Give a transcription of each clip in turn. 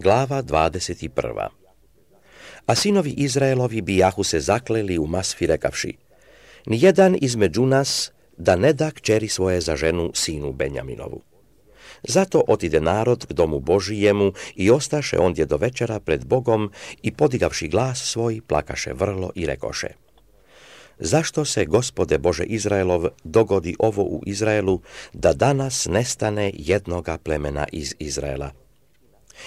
Glava 21. A sinovi Izraelovi bijahu se zakleli u Masfi rekavši: nijedan između nas da ne da kćeri svoje za ženu sinu Benjaminovu. Zato otide narod k domu Božijemu i ostaše ondje do večera pred Bogom i podigavši glas svoj plakaše vrlo i rekoše: zašto se, Gospode Bože Izraelov, dogodi ovo u Izraelu, da danas nestane jednoga plemena iz Izraela?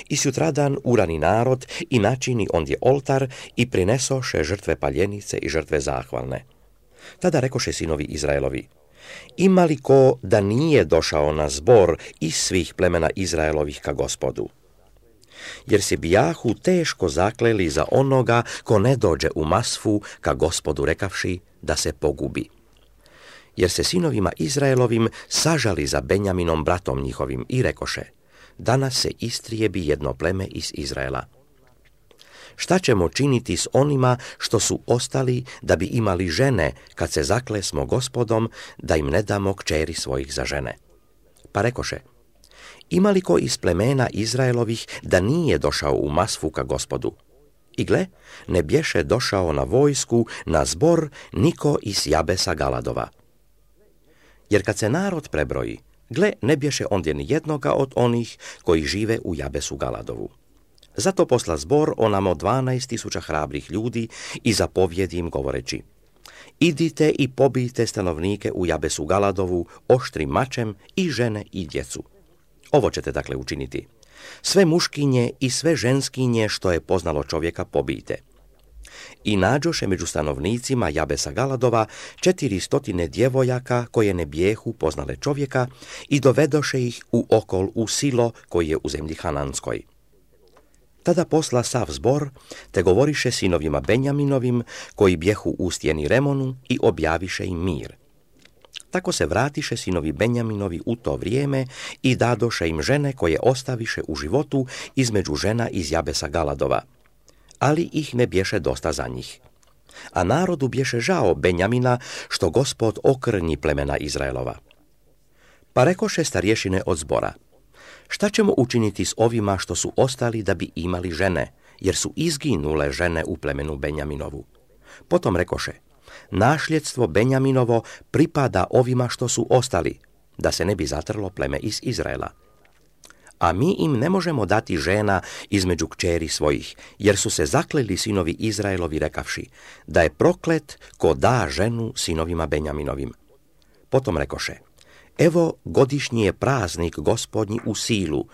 I sutradan urani narod i načini ondje oltar i prinesoše žrtve paljenice i žrtve zahvalne. Tada rekoše sinovi Izraelovi: ima li ko da nije došao na zbor iz svih plemena Izraelovih ka Gospodu? Jer se bijahu teško zakleli za onoga ko ne dođe u Masfu ka Gospodu rekavši da se pogubi. Jer se sinovima Izraelovim sažali za Benjaminom bratom njihovim i rekoše: danas se istrijebi jedno pleme iz Izraela. Šta ćemo činiti s onima što su ostali da bi imali žene kad se zaklesmo Gospodom da im ne damo kćeri svojih za žene? Pa rekoše: ima li ko iz plemena Izraelovih da nije došao u Masfu ka Gospodu? I gle, ne bješe došao na vojsku, na zbor, niko iz Jabesa Galadova. Jer kad se narod prebroji, gle, ne bješe ondje ni jednoga od onih koji žive u Jabesu Galadovu. Zato posla zbor onamo 12.000 hrabrih ljudi i zapovjedi im govoreći: idite i pobijte stanovnike u Jabesu Galadovu oštrim mačem i žene i djecu. Ovo ćete dakle učiniti: sve muškinje i sve ženskinje što je poznalo čovjeka pobijte. I nađoše među stanovnicima Jabesa Galadova 400 djevojaka koje ne bijehu poznale čovjeka i dovedoše ih u okol u Silo koji je u zemlji Hananskoj. Tada posla sav zbor, te govoriše sinovima Benjaminovim koji bjehu u stjeni Remonu i objaviše im mir. Tako se vratiše sinovi Benjaminovi u to vrijeme i dadoše im žene koje ostaviše u životu između žena iz Jabesa Galadova, ali ih ne bješe dosta za njih. A narodu bješe žao Benjamina što Gospod okrnji plemena Izraelova. Pa rekoše starješine od zbora: šta ćemo učiniti s ovima što su ostali da bi imali žene, jer su izginule žene u plemenu Benjaminovu? Potom rekoše: našljedstvo Benjaminovo pripada ovima što su ostali, da se ne bi zatrlo pleme iz Izraela. A mi im ne možemo dati žena između kćeri svojih, jer su se zakleli sinovi Izraelovi rekavši da je proklet ko da ženu sinovima Benjaminovim. Potom rekoše: evo, godišnji je praznik Gospodnji u Silu,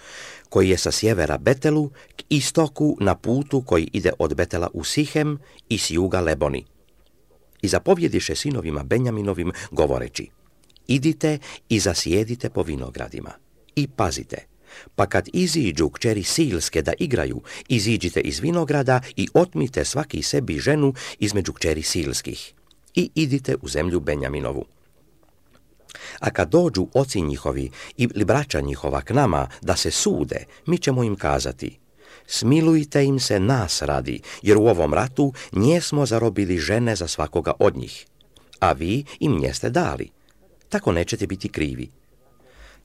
koji je sa sjevera Betelu k istoku na putu koji ide od Betela u Sihem i s juga Leboni. I zapovjediše sinovima Benjaminovim govoreći: idite i zasjedite po vinogradima. I pazite, pa kad iziđu kćeri Silske da igraju, iziđite iz vinograda i otmite svaki sebi ženu između kćeri Silskih i idite u zemlju Benjaminovu. A kad dođu oci njihovi ili braća njihova k nama da se sude, mi ćemo im kazati: smilujte im se nas radi, jer u ovom ratu njesmo zarobili žene za svakoga od njih, a vi im njeste dali. Tako nećete biti krivi.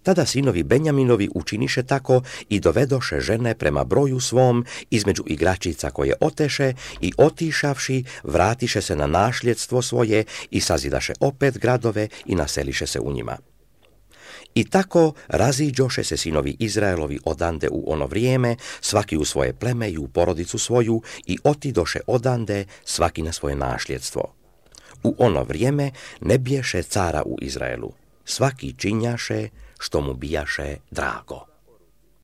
Tada sinovi Benjaminovi učiniše tako i dovedoše žene prema broju svom između igračica koje oteše i otišavši vratiše se na našljedstvo svoje i sazidaše opet gradove i naseliše se u njima. I tako raziđoše se sinovi Izraelovi odande u ono vrijeme, svaki u svoje pleme i u porodicu svoju, i otidoše odande svaki na svoje našljedstvo. U ono vrijeme ne biješe cara u Izraelu, svaki činjaše što mu bijaše drago.